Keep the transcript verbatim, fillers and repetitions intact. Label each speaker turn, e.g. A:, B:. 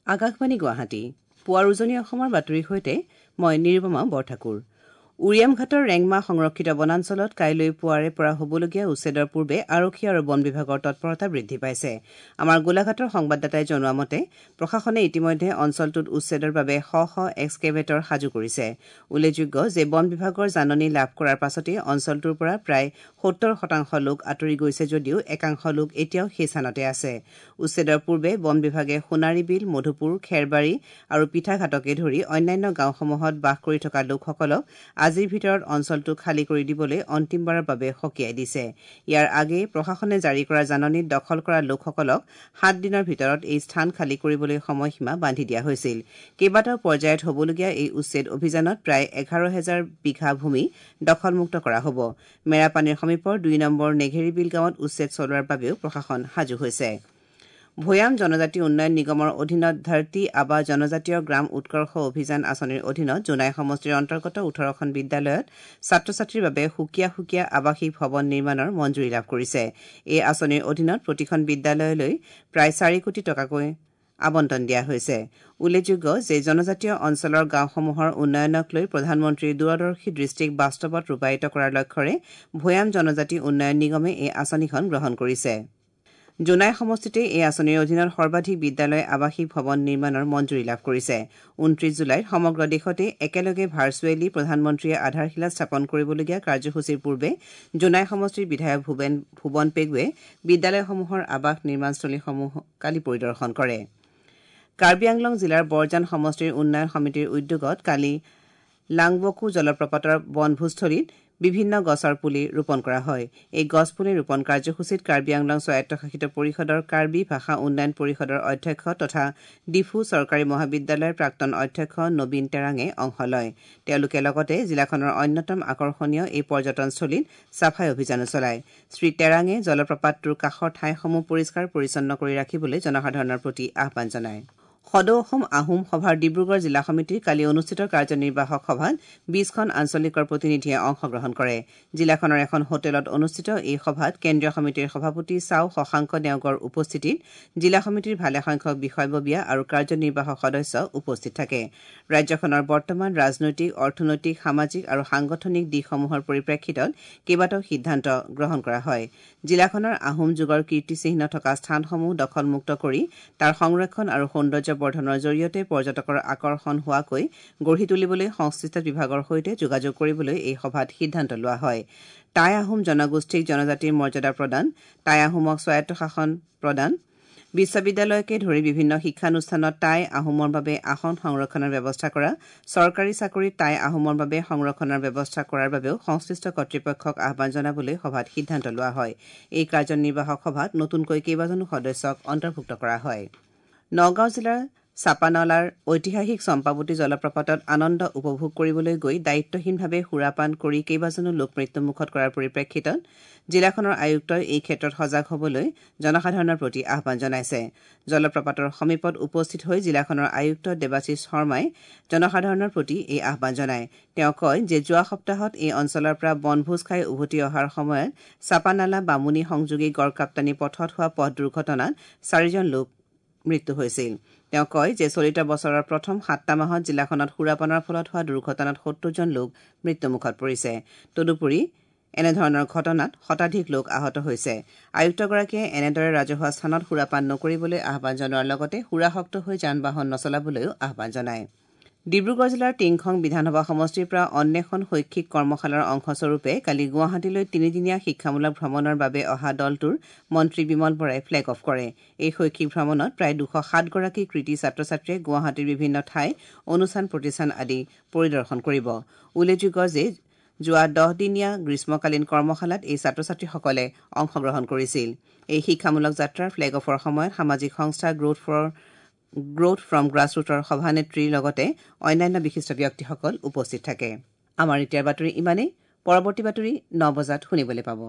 A: আকাশবাণী গুৱাহাটী পুৱাৰ উজনি অসমৰ বাতৰিৰ সৈতে মই নিৰুপমা বৰঠাকুৰ। উৰিয়ামঘাটৰ ৰেংমা সংৰক্ষিত বনাঞ্চলত কাইলৈ পুৱাৰে পৰা হ'বলগীয়া উচ্ছেদৰ পূৰ্বে আৰক্ষী আৰু বন বিভাগৰ তৎপৰতা বৃদ্ধি পাইছে। আমাৰ গোলাঘাটৰ সংবাদদাতাই জনোৱা মতে প্ৰশাসনে ইতিমধ্যে অঞ্চলটোত উচ্ছেদৰ বাবে শ শ এক্সকেভেটৰ সাজু কৰিছে। উল্লেখযোগ্য যে বন বিভাগৰ জাননী লাভ কৰাৰ পাছতেই অঞ্চলটোৰ পৰা প্ৰায় সত্তৰ শতাংশ লোক আঁতৰি গৈছে যদিও একাংশ লোক এতিয়াও সেই স্থানতে আছে। উচ্ছেদৰ পূৰ্বে বন বিভাগে সোণাৰীবিল, মধুপুৰ, খেৰবাৰী আৰু পিঠাঘাটকে ধৰি অন্যান্য গাঁওসমূহত বাস কৰি থকা লোকসকলক আজিৰ ভিতৰত অঞ্চলটো খালী কৰি দিবলৈ অন্তিমবাৰৰ বাবে সকীয়াই দিছে। ইয়াৰ আগেয়ে প্ৰশাসনে জাৰি কৰা জাননীত দখল কৰা লোকসকলক সাত দিনৰ ভিতৰত এই স্থান খালী কৰিবলৈ সময়সীমা বান্ধি দিয়া হৈছিল। কেইবাটাও পৰ্যায়ত হ'বলগীয়া এই উচ্ছেদ অভিযানত প্ৰায় এঘাৰ হেজাৰ বিঘা ভূমি দখলমুক্ত কৰা হ'ব। মেৰাপানীৰ সমীপৰ দুই নম্বৰ নেঘেৰিবিল গাঁৱত উচ্ছেদ চলোৱাৰ বাবেও প্ৰশাসন সাজু হৈছে। ভৈয়াম জনজাতি উন্নয়ন নিগমৰ অধীনত ধৰতী আবা জনজাতীয় গ্ৰাম উৎকৰ্ষ অভিযান আঁচনিৰ অধীনত জোনাই সমষ্টিৰ অন্তৰ্গত ওঠৰখন বিদ্যালয়ত ছাত্ৰ ছাত্ৰীৰ বাবে সুকীয়া সুকীয়া আৱাসিক ভৱন নিৰ্মাণৰ মঞ্জুৰি লাভ কৰিছে। এই আঁচনিৰ অধীনত প্ৰতিখন বিদ্যালয়লৈ প্ৰায় চাৰি কোটি টকাকৈ আবণ্টন দিয়া হৈছে। উল্লেখযোগ্য যে জনজাতীয় অঞ্চলৰ গাঁওসমূহৰ উন্নয়নক লৈ প্ৰধানমন্ত্ৰীৰ দূৰদৰ্শী দৃষ্টিক বাস্তৱত ৰূপায়িত কৰাৰ লক্ষ্যৰে ভৈয়াম জনজাতি উন্নয়ন নিগমে এই আঁচনিখন গ্ৰহণ কৰিছে। জোনাই সমষ্টিতে এই আঁচনিৰ অধীনত সৰ্বাধিক বিদ্যালয় আৱাসিক ভৱন নিৰ্মাণৰ মঞ্জুৰি লাভ কৰিছে। ঊনত্ৰিশ জুলাইত সমগ্ৰ দেশতে একেলগে ভাৰ্চুৱেলি প্ৰধানমন্ত্ৰীয়ে আধাৰশিলা স্থাপন কৰিবলগীয়া কাৰ্যসূচীৰ পূৰ্বে জোনাই সমষ্টিৰ বিধায়ক ভূৱেন ভুৱন পেগুৱে বিদ্যালয়সমূহৰ আৱাস নিৰ্মাণস্থলীসমূহ কালি পৰিদৰ্শন কৰে। কাৰ্বি আংলং জিলাৰ বৰজান সমষ্টিৰ উন্নয়ন সমিতিৰ উদ্যোগত কালি লাংবকু জলপ্ৰপাতৰ বনভোজস্থলীত বিভিন্ন গছৰ পুলি ৰোপণ কৰা হয়। এই গছপুলি ৰোপণ কাৰ্যসূচীত কাৰ্বি আংলং স্বায়ত্তশাসিত পৰিষদৰ কাৰ্বি ভাষা উন্নয়ন পৰিষদৰ অধ্যক্ষ তথা ডিফু চৰকাৰী মহাবিদ্যালয়ৰ প্ৰাক্তন অধ্যক্ষ নবীন টেৰাঙে অংশ লয়। তেওঁলোকে লগতে জিলাখনৰ অন্যতম আকৰ্ষণীয় এই পৰ্যটনস্থলীত চাফাই অভিযানো চলায়। শ্ৰী টেৰাঙে জলপ্ৰপাতটোৰ কাষৰ ঠাইসমূহ পৰিষ্কাৰ পৰিচ্ছন্ন কৰি ৰাখিবলৈ জনসাধাৰণৰ প্ৰতি আহ্বান জনায়। সদৌ অসম আহোম সভাৰ ডিব্ৰুগড় জিলা সমিতিৰ কালি অনুষ্ঠিত কাৰ্যনিৰ্বাহক সভাত বিশখন আঞ্চলিকৰ প্ৰতিনিধিয়ে অংশগ্ৰহণ কৰে। জিলাখনৰ এখন হোটেলত অনুষ্ঠিত এই সভাত কেন্দ্ৰীয় সমিতিৰ সভাপতি চাও শশাংক নেওগৰ উপস্থিতিত জিলা সমিতিৰ ভালেসংখ্যক বিষয়ববীয়া আৰু কাৰ্যনিৰ্বাহক সদস্য উপস্থিত থাকে। ৰাজ্যখনৰ বৰ্তমান ৰাজনৈতিক, অৰ্থনৈতিক, সামাজিক আৰু সাংগঠনিক দিশসমূহৰ পৰিপ্ৰেক্ষিতত কেইবাটাও সিদ্ধান্ত গ্ৰহণ কৰা হয়। জিলাখনৰ আহোম যুগৰ কীৰ্তিচিহ্ন থকা স্থানসমূহ দখলমুক্ত কৰি তাৰ সংৰক্ষণ আৰু সৌন্দৰ্য বৰ্ধনৰ জৰিয়তে পৰ্যটকৰ আকৰ্ষণ হোৱাকৈ গঢ়ি তুলিবলৈ সংশ্লিষ্ট বিভাগৰ সৈতে যোগাযোগ কৰিবলৈ এই সভাত সিদ্ধান্ত লোৱা হয়। টাই আহোম জনগোষ্ঠীক জনজাতিৰ মৰ্যাদা প্ৰদান, টাই আহোমক স্বায়ত্তশাসন প্ৰদান, বিশ্ববিদ্যালয়কে ধৰি বিভিন্ন শিক্ষানুষ্ঠানত টাই আহোমৰ বাবে আসন সংৰক্ষণৰ ব্যৱস্থা কৰা, চৰকাৰী চাকৰিত টাই আহোমৰ বাবে সংৰক্ষণৰ ব্যৱস্থা কৰাৰ বাবেও সংশ্লিষ্ট কৰ্তৃপক্ষক আহ্বান জনাবলৈ সভাত সিদ্ধান্ত লোৱা হয়। এই কাৰ্যনিৰ্বাহক সভাত নতুনকৈ কেইবাজনো সদস্যক অন্তৰ্ভুক্ত কৰা হয়। নগাঁও জিলাৰ চাপানলাৰ ঐতিহাসিক চম্পাৱতী জলপ্ৰপাতত আনন্দ উপভোগ কৰিবলৈ গৈ দায়িত্বহীনভাৱে সুৰাপান কৰি কেইবাজনো লোক মৃত্যুমুখত কৰাৰ পৰিপ্ৰেক্ষিতত জিলাখনৰ আয়ুক্তই এই ক্ষেত্ৰত সজাগ হ'বলৈ জনসাধাৰণৰ প্ৰতি আহ্বান জনাইছে। জলপ্ৰপাতৰ সমীপত উপস্থিত হৈ জিলাখনৰ আয়ুক্ত দেৱাশীষ শৰ্মাই জনসাধাৰণৰ প্ৰতি এই আহ্বান জনায়। তেওঁ কয় যে যোৱা সপ্তাহত এই অঞ্চলৰ পৰা বনভোজ খাই উভতি অহাৰ সময়ত চাপানালা বামুণী সংযোগী গড়কাপ্তানী পথত হোৱা পথ দুৰ্ঘটনাত চাৰিজন লোক মৃত্যু হৈছিল। তেওঁ কয় যে চলিত বছৰৰ প্ৰথম সাতটা মাহত জিলাখনত সুৰাপানৰ ফলত হোৱা দুৰ্ঘটনাত সত্তৰজন লোক মৃত্যুমুখত পৰিছে। তদুপৰি এনেধৰণৰ ঘটনাত শতাধিক লোক আহত হৈছে। আয়ুক্তগৰাকীয়ে এনেদৰে ৰাজহুৱা স্থানত সুৰাপান নকৰিবলৈ আহ্বান জনোৱাৰ লগতে সুৰাসক্ত হৈ যান বাহন নচলাবলৈও আহ্বান জনায়। ডিব্ৰুগড় জিলাৰ টিংখং বিধানসভা সমষ্টিৰ পৰা অন্বেষণ শৈক্ষিক কৰ্মশালাৰ অংশস্বৰূপে কালি গুৱাহাটীলৈ তিনিদিনীয়া শিক্ষামূলক ভ্ৰমণৰ বাবে অহা দলটোৰ মন্ত্ৰী বিমল বৰাই ফ্লেগ অফ কৰে। এই শৈক্ষিক ভ্ৰমণত প্ৰায় দুশ সাতগৰাকী কৃতী ছাত্ৰ ছাত্ৰীয়ে গুৱাহাটীৰ বিভিন্ন ঠাই, অনুষ্ঠান প্ৰতিষ্ঠান আদি পৰিদৰ্শন কৰিব। উল্লেখযোগ্য যে যোৱা দহদিনীয়া গ্ৰীষ্মকালীন কৰ্মশালাত এই ছাত্ৰ ছাত্ৰীসকলে অংশগ্ৰহণ কৰিছিল। এই শিক্ষামূলক যাত্ৰাৰ ফ্লেগ অফৰ সময়ত সামাজিক সংস্থা গ্ৰোথ ফৰ গ্ৰোথ ফ্ৰম গ্ৰাছৰুটৰ সভানেত্ৰীৰ লগতে অন্যান্য বিশিষ্ট ব্যক্তিসকল উপস্থিত থাকে। আমাৰ এতিয়াৰ বাতৰি ইমানেই। পৰৱৰ্তী বাতৰি ন বজাত শুনিবলৈ পাব।